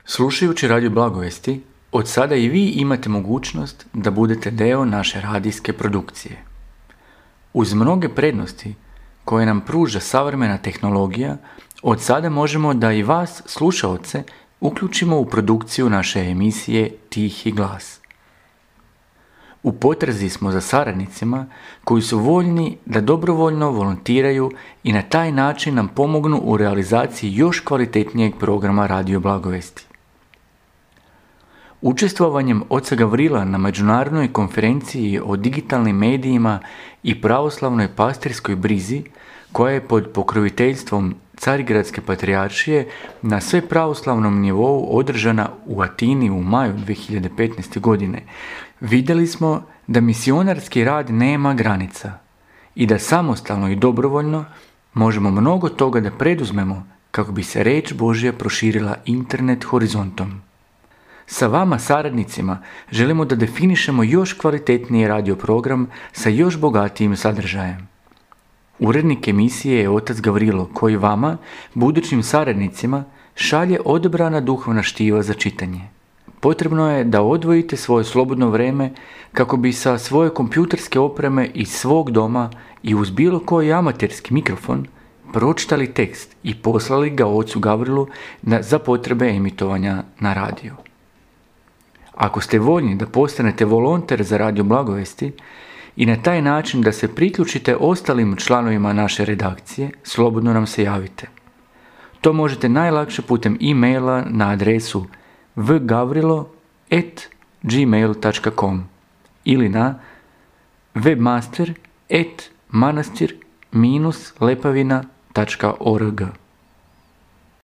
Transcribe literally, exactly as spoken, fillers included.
Slušajući Radio Blagovesti, od sada i vi imate mogućnost da budete deo naše radijske produkcije. Uz mnoge prednosti koje nam pruža savremena tehnologija, od sada možemo da i vas, slušaoce, uključimo u produkciju naše emisije Tihi glas. U potrazi smo za saradnicima koji su voljni da dobrovoljno volontiraju i na taj način nam pomognu u realizaciji još kvalitetnijeg programa Radio Blagovesti. Učestvovanjem oca Gavrila na međunarodnoj konferenciji o digitalnim medijima i pravoslavnoj pastirskoj brizi, koja je pod pokroviteljstvom Carigradske patrijaršije na sve pravoslavnom nivou održana u Atini u maju dvije hiljade petnaeste. godine, vidjeli smo da misionarski rad nema granica i da samostalno i dobrovoljno možemo mnogo toga da preduzmemo kako bi se reč Božja proširila internet horizontom. Sa vama, saradnicima, želimo da definišemo još kvalitetniji radio program sa još bogatijim sadržajem. Urednik emisije je otac Gavrilo, koji vama, budućim saradnicima, šalje odabrana duhovna štiva za čitanje. Potrebno je da odvojite svoje slobodno vrijeme kako bi sa svoje kompjuterske opreme iz svog doma i uz bilo koji amaterski mikrofon pročitali tekst i poslali ga ocu Gavrilu na, za potrebe emitovanja na radiju. Ako ste voljni da postanete volonter za Radio Blagovesti i na taj način da se priključite ostalim članovima naše redakcije, slobodno nam se javite. To možete najlakše putem e-maila na adresu v gavrilo at gmail dot com ili na webmaster at manastir dash lepavina dot org.